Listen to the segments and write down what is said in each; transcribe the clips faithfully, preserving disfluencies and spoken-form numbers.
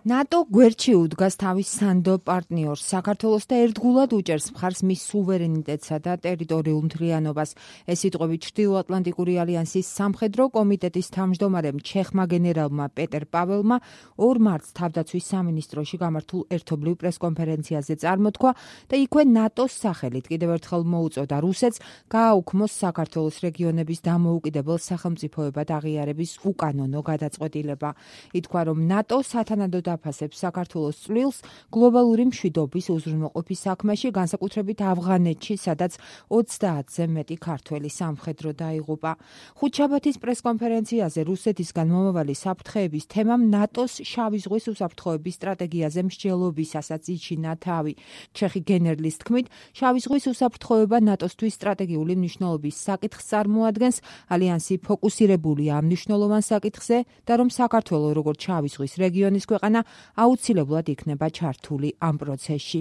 ნატო გვერდში უდგას თავის სანდო პარტნიორს საქართველოს და ერთგულად უჭერს მხარს მის სუვერენიტეტსა და ტერიტორიულ მთლიანობას. ეს სიტყვები ჩრდილოატლანტიკური ალიანსის სამხედრო კომიტეტის თავმჯდომარემ ჩეხმა გენერალმა პეტერ პაველმა ორ მარტს თავდაცვის სამინისტროში გამართულ ერთობლივ პრესკონფერენციაზე წარმოთქვა და იქვე ნატოს სახელით კიდევ ერთხელ მოუწოდა რუსეთს გააუქმოს საქართველოს რეგიონების დამოუკიდებელ სახელმწიფოებად აღიარების უკანონო გადაწყვეტილება. ითქვა, რომ ნატო სათანადოდ აფასებს საქართველოს წვლილს გლობალური მშვიდობის უზრუნველყოფის საქმეში, განსაკუთრებით ავღანეთში, სადაც ოცდაათზე მეტი ქართველი სამხედრო დაიღუპა. ხუთშაბათის პრესკონფერენციაზე რუსეთისგან მომავალი საფრთხეების თემამ ნატოს შავი ზღვის უსაფრთხოების სტრატეგიაზე მსჯელობისასაც იჩინა თავი. ჩეხი გენერლის თქმით, შავი ზღვის უსაფრთხოება ნატოსთვის სტრატეგიული მნიშვნელობის საკითხს წარმოადგენს, ალიანსი ფოკუსირებულია ამ მნიშვნელოვან საკითხზე და რომ საქართველო როგორც შავი ზღვის რეგიონის ქვეყანა აუცილებლად იქნება ჩართული ამ პროცესში.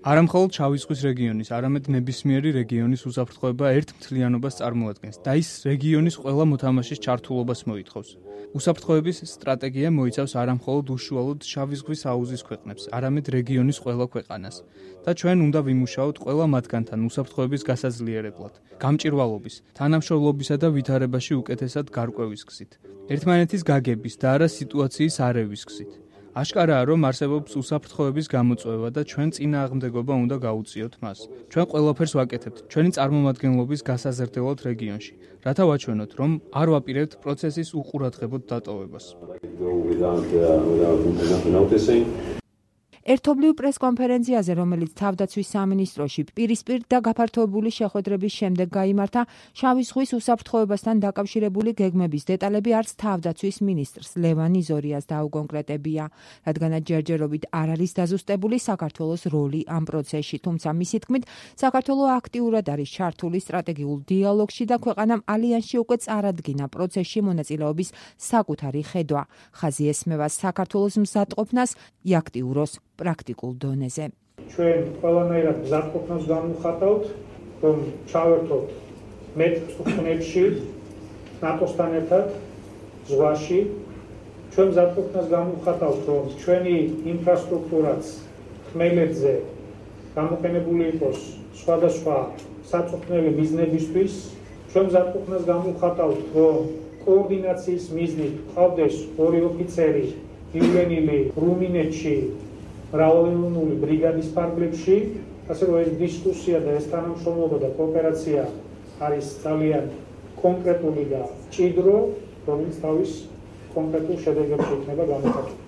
არა მხოლოდ შავი ზღვის რეგიონის, არამედ ნებისმიერი რეგიონის უსაფრთხოება ერთ მთლიანობას წარმოადგენს და ის რეგიონის ყველა მოთამაშის ჩართულობას მოითხოვს. უსაფრთხოების სტრატეგია მოიცავს არა მხოლოდ უშუალოდ შავი ზღვის აუზის ქვეყნებს, არამედ რეგიონის ყველა ქვეყანას. და ჩვენ უნდა ვიმუშაოთ ყველა მათგანთან უსაფრთხოების გასაძლიერებლად, გამჭირვალობის, თანამშრომლობისა და ვითარებაში უკეთესად გარკვევის გზით, ერთმანეთის გაგების და არა სიტუაციის არევის გზით. აშკარაა, რომ არსებობს უსაფრთხოების გამოწვევა და ჩვენ წინააღმდეგობა უნდა გაუწიოთ მას. ჩვენ ყველაფერს ვაკეთებთ ჩვენი წარმომადგენლობის გასაზრდელად რეგიონში, რათა ვაჩვენოთ, რომ არ ვაპირებთ პროცესის უყურადღებოდ დატოვებას. ერთობლივ პრესკონფერენციაზე, რომელიც თავდაცვის სამინისტროში პირისპირ და გაფართოებული შეხვედრების შემდეგ გაიმართა, შავი ზღვის უსაფრთხოებასთან დაკავშირებული გეგმების დეტალები არც თავდაცვის მინისტრს ლევან იზორიას დაუკონკრეტებია, რადგანაც ჯერჯერობით არ არის დაზუსტებული საქართველოს როლი ამ პროცესში, თუმცა მისი თქმით, საქართველო აქტიურად არის ჩართული სტრატეგიულ დიალოგში და ქვეყანამ ალიანსში უკვე წარადგინა პროცესში მონაწილეობის საკუთარი ხედვა. ხაზი ესმევა საქართველოს მზადყოფნას იაქტიუროს პრაქტიკულ დონეზე. ჩვენ ყველანაირად მზადყოფნას განვიხატავთ, რომ ჩავერთოთ მეტ ხუნებში, ნატოსთან ერთად, ზღვაში. ჩვენ მზადყოფნას განვიხატავთ, რომ ჩვენი ინფრასტრუქტურაც ხმელეთზე გამოყენებული იყოს სხვადასხვა საწვრთნელი მიზნებისთვის. ჩვენ მზადყოფნას განვიხატავთ, რომ კოორდინაციის მიზნით ყავდეს ორი ოფიცერი ივლენილი რუმინეთში მრავალეუნული ბრიგადის ფარგლებში, ასე რომ ეს დისკუსია და ეს თანამშრომლობა და კოოპერაცია არის ძალიან კონკრეტული და ჭიდრო, რომელიც თავის კონკრეტულ შედეგებში იქნება გამოხატული.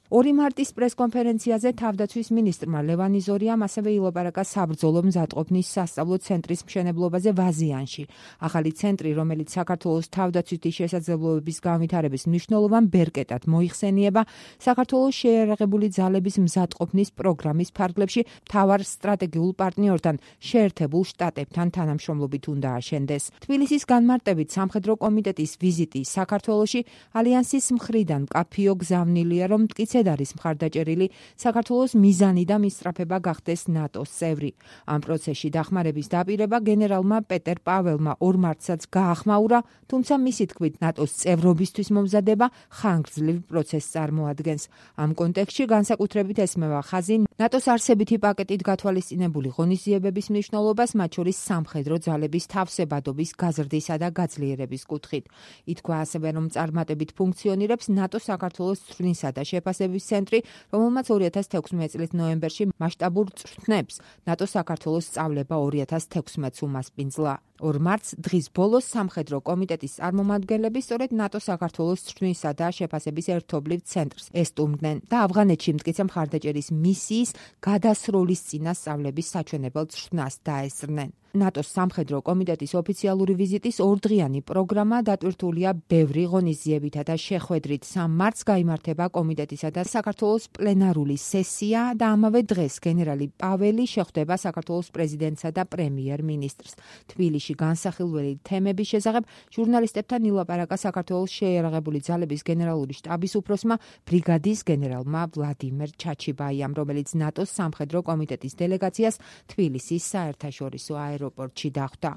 ორი მარტის პრესკონფერენციაზე თავდაცვის მინისტრმა ლევან იზორიამ ასევე ილაპარაკა საბრძოლო მზადყოფნის სასწავლო ცენტრის მშენებლობაზე ვაზიანში. ახალი ცენტრი, რომელიც საქართველოს თავდაცვითი შესაძლებლობების განვითარების მნიშვნელოვან ბერკეტად მოიხსენიება, საქართველოს შეიარაღებული ძალების მზადყოფნის პროგრამის ფარგლებში მთავარ სტრატეგიულ პარტნიორთან, შეერთებულ შტატებთან თანამშრომლობით უნდა აშენდეს. თბილისის განმარტებით სამხედრო კომიტეტის ვიზიტი საქართველოში ალიანსის მხრიდან მკაფიო გზავნილია, რომ მტკიცე არის მხარდაჭერილი საქართველოს მიზანი და მისწრაფება გახდეს ნატოს წევრი. ამ პროცესში დახმარების დაპირება გენერალმა პეტერ პაველმა ორ მარტსაც გაახმაურა, თუმცა მისი თქმით ნატოს წევრობისთვის მომზადება ხანგრძლივ პროცესს წარმოადგენს. ამ კონტექსტში განსაკუთრებით ესმევა ხაზი ნატოს არსებითი პაკეტით გათვალისწინებული ღონისძიებების მნიშვნელობას, მათ შორის სამხედრო ძალების თავსებადობის გაზრდისა და გაძლიერების კუთხით. ითქვა ასევე, რომ წარმატებით ფუნქციონირებს ნატოს საქართველოს წვრთნისა და შეფასების ცენტრი, რომელმაც ორი ათას თექვსმეტი წლის ნოემბერში მასშტაბურ წვრთნებს ნატო საქართველოს სწავლება ორი ათას თექვსმეტს უმასპინძლა. ორ მარტს დღის ბოლოს სამხედრო კომიტეტის წარმომადგენლები სწორედ ნატო საქართველოს წვრთნისა და შეფასების ერთობლივ ცენტრს ესტუმრნენ და ავღანეთში მტკიცე მხარდაჭერის მისიის გადასროლის წინა სწავლების საჩვენებელ წვრთნას დაესწრნენ. ნატოს სამხედრო კომიტეტის ოფიციალური ვიზიტის ორდღიანი პროგრამა დატვირთულია ბევრი ღონისძიებითა და შეხვედრით. სამ მარტს გაიმართება კომიტეტისა და საქართველოს პლენარული სესია და ამავე დღეს გენერალი პაველი შეხვდება საქართველოს პრეზიდენტსა და პრემიერ-მინისტრს. თბილისში განსახილველი თემების შესახებ ჟურნალისტებთან ილაპარაკა საქართველოს შეიარაღებული ძალების გენერალური შტაბის უფროსმა ბრიგადის გენერალმა ვლადიმერ ჩაჩიბაიამ, რომელიც ნატოს სამხედრო კომიტეტის დელეგაციას თბილისის საერთაშორისო აეროპორტში დახვდა.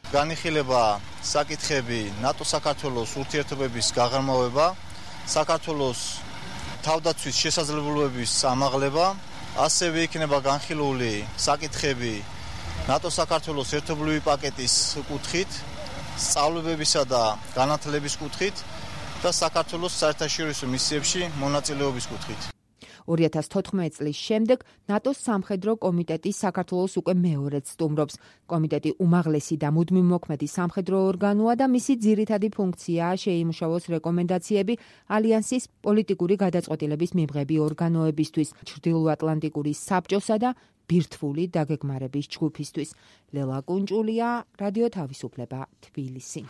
განიხილება საკითხები ნატო-საქართველოს ურთიერთობების გაღრმავება, საქართველოს თავდაცვის შესაძლებლობების ამაღლება, ასევე იქნება განხილული საკითხები ნატო-საქართველოს ერთობლივი პაკეტის კუთხით, სწავლებებისა და განათლების კუთხით და საქართველოს საერთაშორისო მისიებში მონაწილეობის კუთხით. ორი ათას თოთხმეტი წლის შემდეგ ნატოს სამხედრო კომიტეტი საქართველოს უკვე მეორედ სტუმრობს. კომიტეტი უმაღლესი და მუდმივ მოქმედი სამხედრო ორგანოა და მისი ძირითადი ფუნქციაა შეიმუშავოს რეკომენდაციები ალიანსის პოლიტიკური გადაწყვეტილების მიღები ორგანოებისთვის, ჩრდილოატლანტიკური საბჭოსა და ბირთვული დაგეგმარების ჯგუფისთვის. ლელა კუნჭულია, რადიო თავისუფლება, თბილისი.